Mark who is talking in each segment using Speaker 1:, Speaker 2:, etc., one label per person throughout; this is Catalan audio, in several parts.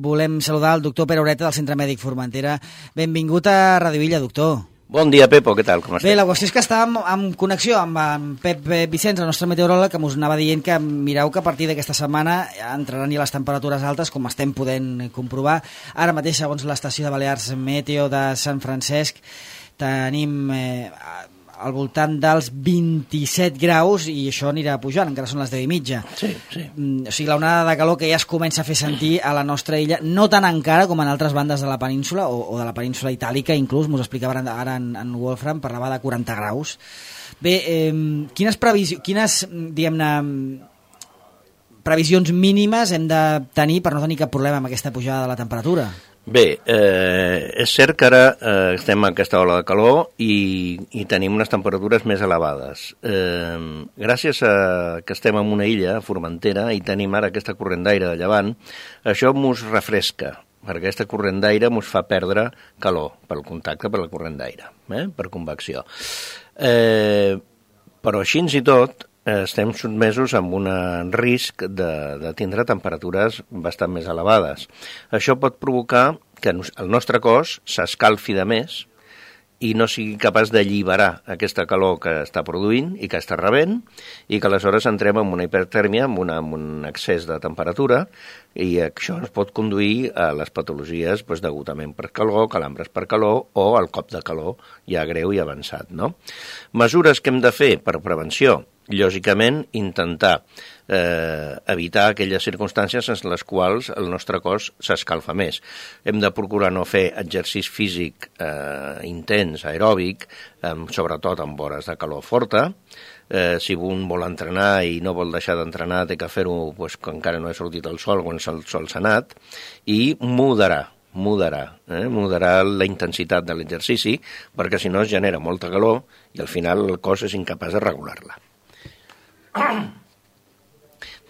Speaker 1: volem saludar el doctor Pere Ureta del Centre Mèdic Formentera. Benvingut a Radio Illa, doctor.
Speaker 2: Bon dia, Pepo, què tal? Com estàs?
Speaker 1: Bé, la qüestió és que estàvem en connexió amb en Pep Vicenç, el nostre meteoròleg, que us anava dient que mireu que a partir d'aquesta setmana entraran ja les temperatures altes, com estem podent comprovar. Ara mateix, segons l'estació de Balears Meteo de Sant Francesc, tenim al voltant dels 27 graus i això anirà pujant, encara són les 10:30.
Speaker 2: Sí.
Speaker 1: O sigui, l'onada de calor que ja es comença a fer sentir a la nostra illa, no tan encara com en altres bandes de la península o de la península itàlica, inclús, m'ho explicava ara en Wolfram, parlava de 40 graus. Bé, quines previsions mínimes hem de tenir per no tenir cap problema amb aquesta pujada de la temperatura?
Speaker 2: Bé, és cert que ara estem en aquesta ola de calor i tenim unes temperatures més elevades. Gràcies a que estem en una illa, Formentera, i tenim ara aquesta corrent d'aire de llevant, això mos refresca, perquè aquesta corrent d'aire mos fa perdre calor pel contacte per la corrent d'aire, per convecció. Però així i tot, estem sotmesos amb un risc de tindre temperatures bastant més elevades. Això pot provocar que el nostre cos s'escalfi de més i no sigui capaç d'alliberar aquesta calor que està produint i que està rebent, i que aleshores entrem en una hipertèrmia, en un excés de temperatura, i això ens pot conduir a les patologies d'agotament per calor, calambres per calor o el cop de calor ja greu i avançat, no? Mesures que hem de fer per prevenció: lògicament, intentar evitar aquelles circumstàncies en les quals el nostre cos s'escalfa més. Hem de procurar no fer exercici físic intens, aeròbic, sobretot en hores de calor forta. Si un vol entrenar i no vol deixar d'entrenar, té que fer-ho quan encara no ha sortit el sol, quan el sol s'ha anat, i moderar la intensitat de l'exercici, perquè si no es genera molta calor i al final el cos és incapaç de regular-la.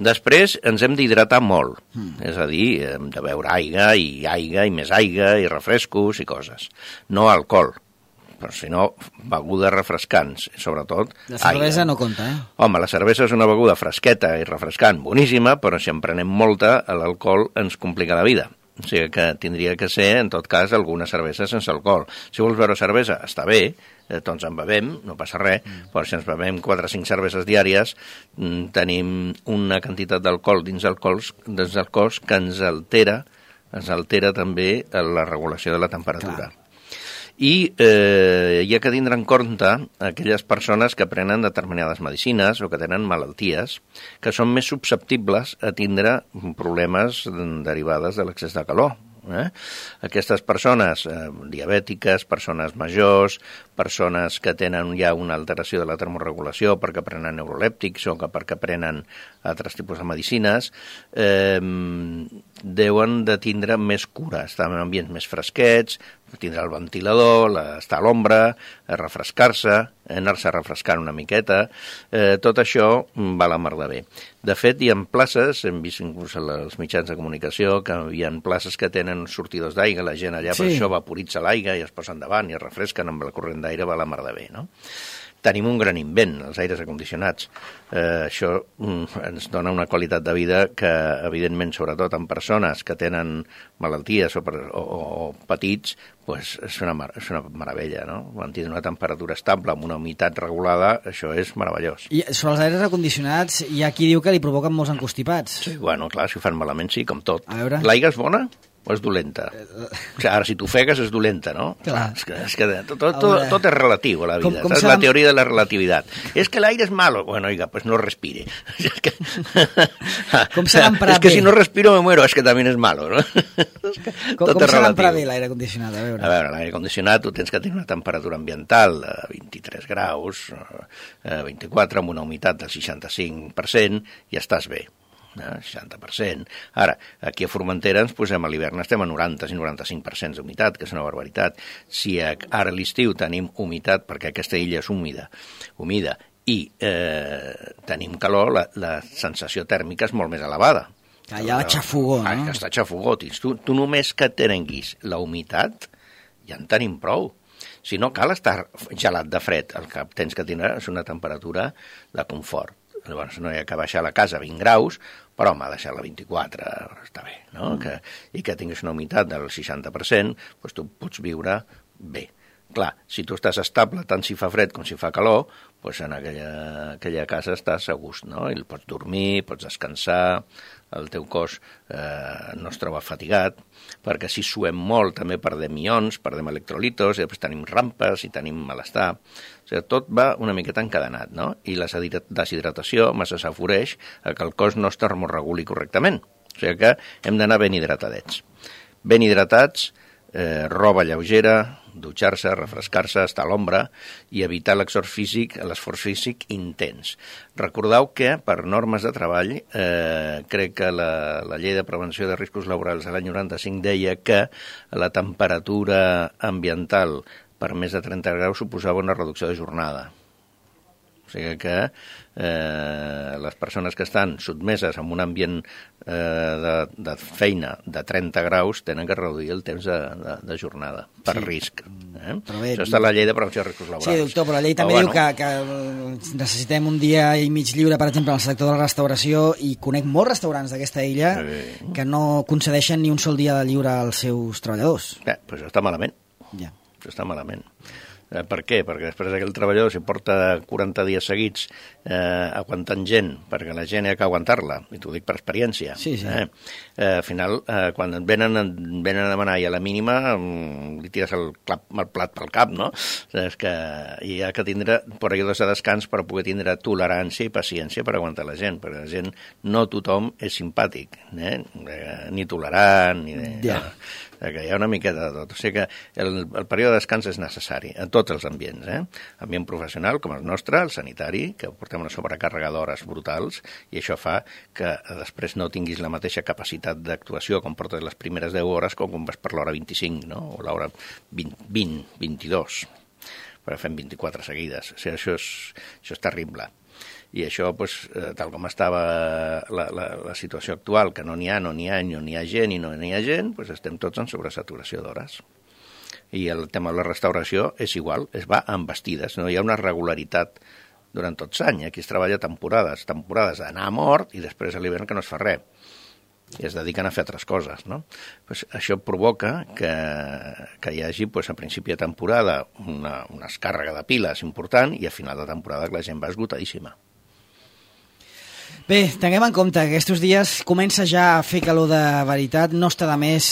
Speaker 2: Després ens hem d'hidratar molt, és a dir, hem de beure aigua i més aigua i refrescos i coses. No alcohol, però si no, begudes refrescants, sobretot
Speaker 1: la cervesa
Speaker 2: aigua.
Speaker 1: No compta,
Speaker 2: Home, la cervesa és una beguda fresqueta i refrescant, boníssima, però si en prenem molta, l'alcohol ens complica la vida. O sigui que tindria que ser, en tot cas, alguna cervesa sense alcohol. Si vols beure cervesa, està bé, doncs en bevem, no passa res, però si ens bevem 4 o 5 cerveses diàries, tenim una quantitat d'alcohol dins el cos que ens altera també la regulació de la temperatura. Clar. I hi ha que tindre en compte aquelles persones que prenen determinades medicines o que tenen malalties que són més susceptibles a tindre problemes derivades de l'excés de calor. Aquestes persones diabètiques, persones majors, persones que tenen ja una alteració de la termorregulació perquè prenen neurolèptics o perquè prenen altres tipus de medicines, deuen de tindre més cura, estar en ambients més fresquets, tindre el ventilador, estar a l'ombra, refrescar-se, anar-se refrescant una miqueta, tot això va a la mar de bé. De fet, hi ha places, hem vist inclús als mitjans de comunicació, que hi ha places que tenen sortidors d'aigua, la gent allà per això vaporitza l'aigua i es posen davant i es refresquen amb la corrent d'aire, va a la mar de bé, no? Tenim un gran invent, els aires acondicionats. Això ens dona una qualitat de vida que, evidentment, sobretot en persones que tenen malalties o petits, és una meravella, no? Mantenir una temperatura estable amb una humitat regulada, això és meravellós.
Speaker 1: I sobre els aires acondicionats hi ha qui diu que li provoquen molts encostipats.
Speaker 2: Sí, bueno, clar, si ho fan malament sí, com tot.
Speaker 1: L'aigua
Speaker 2: és bona o és dolenta? Ara, si t'ofegues és dolenta, no?
Speaker 1: Clar.
Speaker 2: És que tot és relatiu a la vida. És la teoria de la relativitat. És que l'aire és malo. Bueno, oiga, pues no respire.
Speaker 1: Com s'ha d'emprar bé?
Speaker 2: És que si no respiro me muero, és que també és malo, no?
Speaker 1: Com s'ha d'emprar bé l'aire condicionat?
Speaker 2: A veure, l'aire condicionat tu tens que tenir una temperatura ambiental de 23 graus, 24, amb una humitat del 65%, i estàs bé. 60%. Ara, aquí a Formentera ens posem a l'hivern, estem a 90 i 95% d'humitat, que és una barbaritat. Si ara a l'estiu tenim humitat, perquè aquesta illa és humida, i tenim calor, la sensació tèrmica és molt més elevada.
Speaker 1: Hi ha la xafogó, no?
Speaker 2: Està xafogó. Tu només que tinguis la humitat, ja en tenim prou. Si no cal estar gelat de fred, el que tens que tindre és una temperatura de confort. llavors no hi ha que baixar la casa a 20 graus, però m'ha deixat la 24, està bé, no? I que tinguis una humitat del 60%, doncs tu pots viure bé. Clar, si tu estàs estable tant si fa fred com si fa calor, doncs en aquella casa estàs a gust, no? I pots dormir, pots descansar, el teu cos no es troba fatigat, perquè si suem molt també perdem ions, perdem electrolitos, i després tenim rampes i tenim malestar. O sigui, tot va una miqueta encadenat, no? I la deshidratació massa s'afavoreix que el cos no es termorreguli correctament. O sigui que hem d'anar ben hidratadets. Ben hidratats, roba lleugera, dutxar-se, refrescar-se, estar a l'ombra i evitar l'esforç físic intens. Recordeu que, per normes de treball, crec que la llei de prevenció de riscos laborals de l'any 95 deia que la temperatura ambiental per més de 30 graus suposava una reducció de jornada. O sigui que les persones que estan sotmeses a un ambient de feina de 30 graus tenen que reduir el temps de jornada per risc. Bé, això està a la llei de prevenció de riscos laborals.
Speaker 1: Sí, doctor, però la llei també diu que necessitem un dia i mig lliure, per exemple, en el sector de la restauració, i conec molts restaurants d'aquesta illa que no concedeixen ni un sol dia de lliure als seus treballadors.
Speaker 2: Doncs això està malament. Això està malament. Per què? Perquè després aquell treballador, si porta 40 dies seguits aguantant gent, perquè la gent ha que aguantar-la, i t'ho dic per experiència, al final, quan et venen a demanar i a la mínima li tires el plat pel cap, no? És que hi ha que tindre períodes de descans per poder tindre tolerància i paciència per aguantar la gent, perquè la gent, no tothom és simpàtic, ni tolerant, ni... que hi ha una miqueta de tot. O sigui que el període de descans és necessari en tots els ambients. Ambient professional, com el nostre, el sanitari, que portem una sobrecàrrega d'hores brutals, i això fa que després no tinguis la mateixa capacitat d'actuació com portes les primeres 10 hores com quan vas per l'hora 25, no? O l'hora 20, 22, perquè fem 24 seguides. O sigui, això és terrible. I això, tal com estava la situació actual, que no n'hi ha gent i no n'hi ha gent, estem tots en sobresaturació d'hores. I el tema de la restauració és igual, es va amb vestides, no hi ha una regularitat durant tot l'any. Aquí es treballa temporades d'anar a mort i després a l'hivern que no es fa res. I es dediquen a fer altres coses, no? Això provoca que hi hagi, a principi de temporada, una descàrrega de piles important i a final de temporada la gent va esgotadíssima.
Speaker 1: Bé, tinguem en compte que aquests dies comença ja a fer calor de veritat, no està de més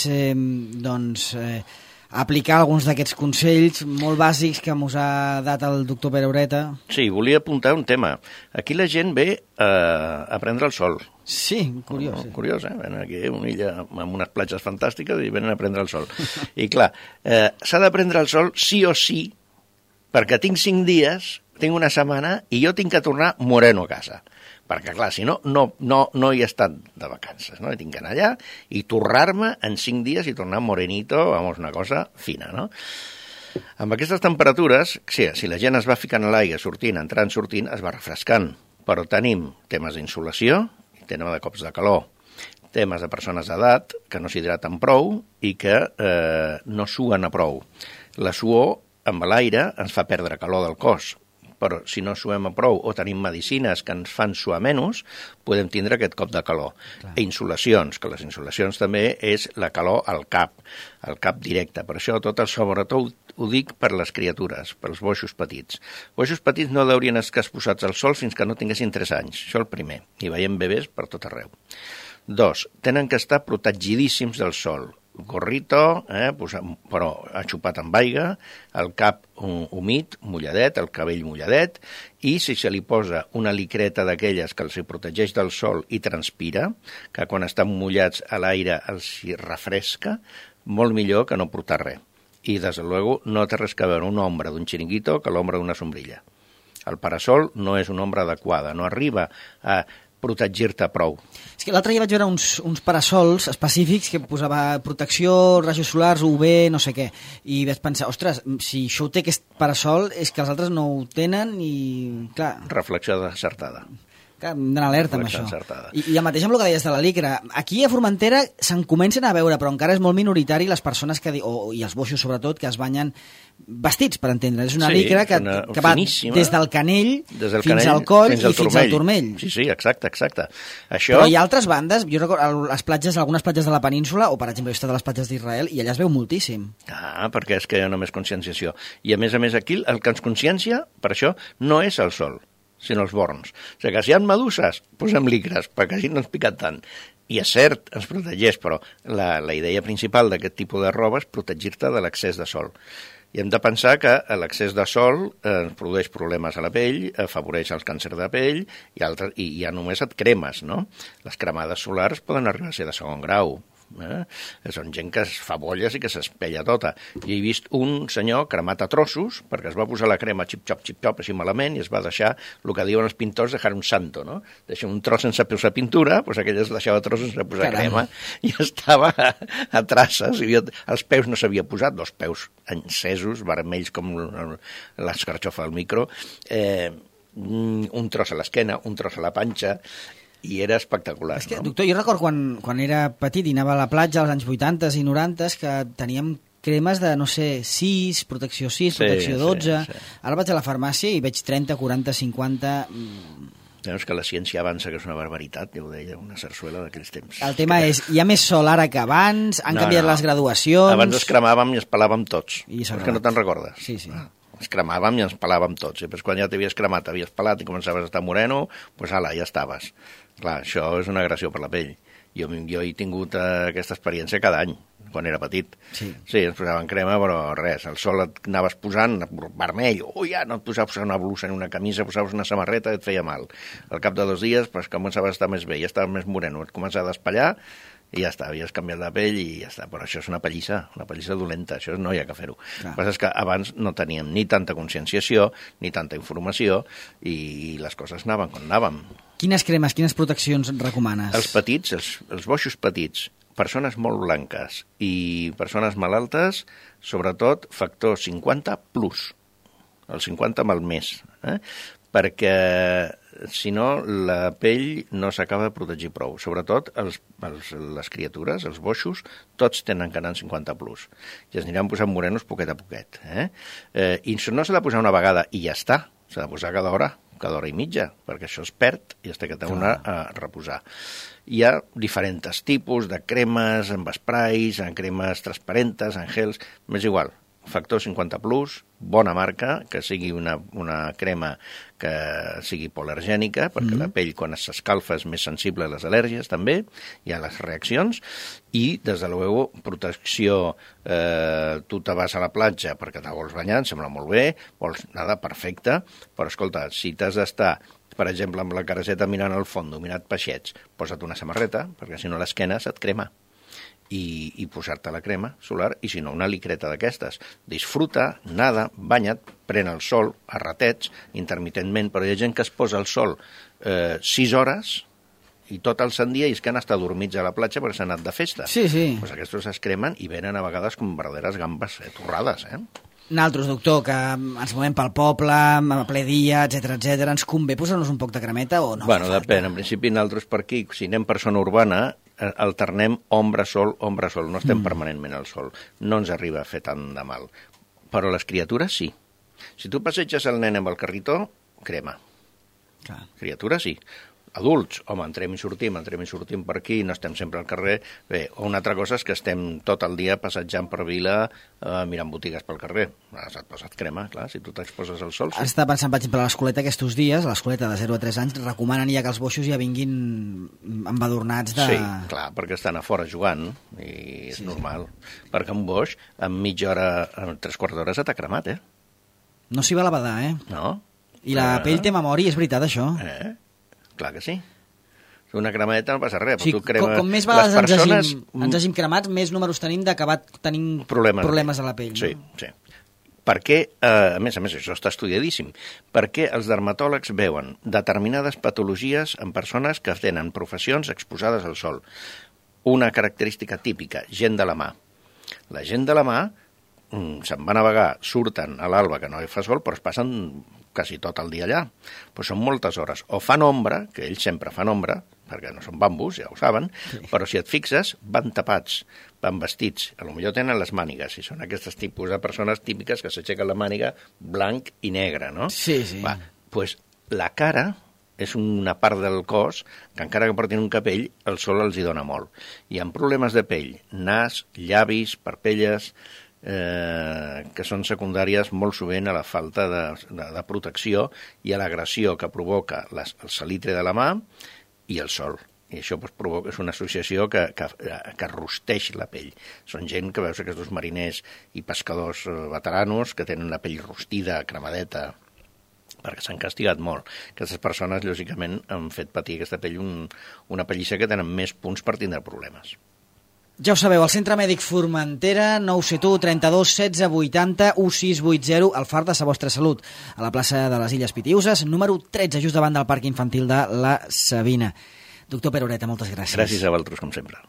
Speaker 1: aplicar alguns d'aquests consells molt bàsics que ens ha dat el doctor Pere Ureta.
Speaker 2: Sí, volia apuntar un tema. Aquí la gent ve a prendre el sol.
Speaker 1: Sí, curiós.
Speaker 2: Curiós, Venen aquí a una illa amb unes platges fantàstiques i venen a prendre el sol. I clar, s'ha de prendre el sol sí o sí, perquè tinc 5 dies, tinc una setmana i jo tinc que tornar moreno a casa. Perquè, clar, si no hi he estat de vacances, no? Tinc que anar allà i tornar-me en 5 dies i tornar morenito, una cosa fina, no? Amb aquestes temperatures, si la gent es va ficant a l'aigua, entrant, sortint, es va refrescant. Però tenim temes d'insolació, temes de cops de calor, temes de persones d'edat que no s'hidraten prou i que no suen a prou. La suor amb l'aire ens fa perdre calor del cos, però si no suem a prou o tenim medicines que ens fan suar menys, podem tindre aquest cop de calor. Insolacions, que les insolacions també és la calor al cap directe. Per això sobretot ho dic per les criatures, pels boixos petits. Boixos petits no haurien estar exposats al sol fins que no tinguessin 3 anys, això el primer, i veiem bebès per tot arreu. 2, tenen que estar protegidíssims del sol. Gorrito, però aixupat amb aigua, el cap humit, mulladet, el cabell mulladet, i si se li posa una licreta d'aquelles que els protegeix del sol i transpira, que quan estan mullats a l'aire els refresca, molt millor que no portar res. I, des de luego, no té res que veure una ombra d'un xiringuito que l'ombra d'una sombrilla. El parasol no és una ombra adequada, no arriba a protegir-te prou.
Speaker 1: És que l'altre dia vaig veure uns parasols específics que posava protecció, rajos solars, UV, no sé què, i vaig pensar, ostres, si això ho té aquest parasol és que els altres no ho tenen i, clar...
Speaker 2: Reflexió desertada.
Speaker 1: Que hem d'anar alerta amb això.
Speaker 2: Encertada.
Speaker 1: I el mateix amb el que deies de la licra. Aquí a Formentera se'n comencen a veure, però encara és molt minoritari les persones i els boixos sobretot, que es banyen vestits, per entendre. És una licra que va des del canell fins al coll i fins al turmell.
Speaker 2: Sí, exacte. Això...
Speaker 1: Però hi ha altres bandes, jo recordo algunes platges de la península, o per exemple, he estat a les platges d'Israel, i allà es veu moltíssim.
Speaker 2: Perquè és que hi ha només conscienciació. I a més aquí, el que ens consciencia, per això, no és el sol, sinó els borns. O sigui que si hi ha meduses, posem licres, perquè així no ens pica tant. I és cert, ens protegeix, però la idea principal d'aquest tipus de roba és protegir-te de l'excés de sol. I hem de pensar que l'excés de sol ens produeix problemes a la pell, afavoreix els càncers de pell i ja només et cremes, no? Les cremades solars poden arribar a ser de segon grau. Són gent que es fa bolles i que s'espella tota. I he vist un senyor cremat a trossos perquè es va posar la crema xip-xop, així malament, i es va deixar el que diuen els pintors, dejar un santo, no? Deixar un tros sense posar pintura, doncs aquell es deixava trossos sense posar crema, i estava a traces, els peus no s'havia posat, dos peus encesos, vermells com l'escarxofa del micro, un tros a l'esquena, un tros a la panxa, i era espectacular.
Speaker 1: És que,
Speaker 2: no?
Speaker 1: Doctor, jo recordo quan era petit i anava a la platja als anys 80 i 90 que teníem cremes de, no sé, 6, protecció 6, protecció 12... Sí. Ara vaig a la farmàcia i veig 30, 40, 50...
Speaker 2: És que la ciència avança, que és una barbaritat, ja ho deia una sarsuela d'aquells temps.
Speaker 1: El tema és, hi ha més sol ara que abans, han canviat les graduacions...
Speaker 2: Abans es cremàvem i es pelàvem tots. És que no te'n recordes?
Speaker 1: Sí.
Speaker 2: Ens cremàvem i ens pelàvem tots. I després quan ja t'havies cremat, t'havies pelat i començaves a estar moreno, doncs ala, ja estaves. Clar, això és una agressió per la pell. Jo he tingut aquesta experiència cada any, quan era petit. Sí, ens posaven crema, però res, el sol et anaves posant vermell, ja no et posaves una blusa ni una camisa, posaves una samarreta i et feia mal. Al cap de 2 dies començaves a estar més bé, ja estaves més moreno, et començava a despallar i ja està, havies canviat la pell i ja està. Però això és una pallissa dolenta, això no hi ha que fer-ho. El que passa és que abans no teníem ni tanta conscienciació, ni tanta informació, i les coses anaven com anaven.
Speaker 1: Quines cremes, quines proteccions recomanes?
Speaker 2: Els petits, els boixos petits, persones molt blanques i persones malaltes, sobretot factor 50 plus, el 50 amb el més, perquè si no la pell no s'acaba de protegir prou. Sobretot les criatures, els boixos, tots tenen que anar en 50 plus. I es aniran posant morenos poquet a poquet. I no s'ha de posar una vegada i ja està, s'ha de posar cada hora i mitja, perquè això es perd i es té que tornar a reposar. Hi ha diferents tipus de cremes, amb sprays, en cremes transparentes, en gels, m'és igual. Factor 50 plus, bona marca, que sigui una crema que sigui hipoal·lergènica, perquè la pell quan s'escalfa és més sensible a les al·lèrgies també, hi ha les reaccions, i des de luego protecció, tu te vas a la platja perquè te vols banyar, em sembla molt bé, vols nada perfecte, però escolta, si t'has d'estar, per exemple, amb la careseta mirant al fons, mirant peixets, posa't una samarreta, perquè si no l'esquena se't crema. I posar-te la crema solar, i si no, una licreta d'aquestes. Disfruta, nada, banya't, pren el sol a ratets, intermitentment, però hi ha gent que es posa al sol 6 hores i tot el sant dia i es que han estat dormits a la platja perquè s'han anat de festa.
Speaker 1: Sí.
Speaker 2: Pues aquests es cremen i venen a vegades com verdaderes gambes torrades,
Speaker 1: Nosaltres, doctor, que ens movem pel poble, a ple dia, etc, ens convé posar-nos un poc de cremeta o no?
Speaker 2: Bueno, depèn. En principi, nosaltres per aquí, si anem per zona urbana, alternem ombra-sol, no estem permanentment al sol. No ens arriba a fer tant de mal. Però les criatures sí. Si tu passeges el nen amb el carritó, crema. Clar. Criatures sí. Adults, home, entrem i sortim per aquí, no estem sempre al carrer. Bé, una altra cosa és que estem tot el dia passejant per vila, mirant botigues pel carrer. Et poses crema, clar, si tu t'exposes al sol. Sí.
Speaker 1: Està pensant, per exemple, a l'escoleta aquests dies, a l'escoleta de 0 a 3 anys, recomanen ja que els boixos ja vinguin embadurnats de...
Speaker 2: Sí, clar, perquè estan a fora jugant, i és normal. Perquè un boix, en mitja hora, en 3/4 d'hora, s'ha cremat,
Speaker 1: No s'hi va a la badar,
Speaker 2: No.
Speaker 1: I la pell té memòria, és veritat, això.
Speaker 2: Clar que sí. Una cremeta no passa res.
Speaker 1: Sí, com més vegades ens hagin cremat, més números tenim d'acabar tenint problemes a la pell.
Speaker 2: Sí. Perquè, a més, això està estudiadíssim, perquè els dermatòlegs veuen determinades patologies en persones que tenen professions exposades al sol. Una característica típica, gent de la mà. La gent de la mà se'n van a vagar, surten a l'alba, que no hi fa sol, però es passen quasi tot el dia allà. Però són moltes hores. O fan ombra, que ells sempre fan ombra, perquè no són bambús, ja ho saben, però si et fixes, van tapats, van vestits. A lo millor tenen les mànigues, i són aquests tipus de persones típiques que s'aixequen la màniga blanc i negre, no?
Speaker 1: Sí, sí.
Speaker 2: Pues la cara és una part del cos que encara que portin un capell, el sol els hi dona molt. Hi ha problemes de pell, nas, llavis, parpelles, que són secundàries molt sovint a la falta de protecció i a l'agressió que provoca el salitre de la mà i el sol. I això provoca, és una associació que rosteix la pell. Són gent que veus aquests mariners i pescadors veteranos que tenen la pell rostida, cremadeta, perquè s'han castigat molt. Aquestes persones, lògicament, han fet patir aquesta pell una pellissa que tenen més punts per tindre problemes.
Speaker 1: Ja ho sabeu, el Centre Mèdic Formentera, 971 32 16 80 1680, al Far de sa vostra salut, a la plaça de les Illes Pitiüses, número 13, just davant del Parc Infantil de la Sabina. Doctor Peroreta, moltes gràcies.
Speaker 2: Gràcies a vosaltres, com sempre.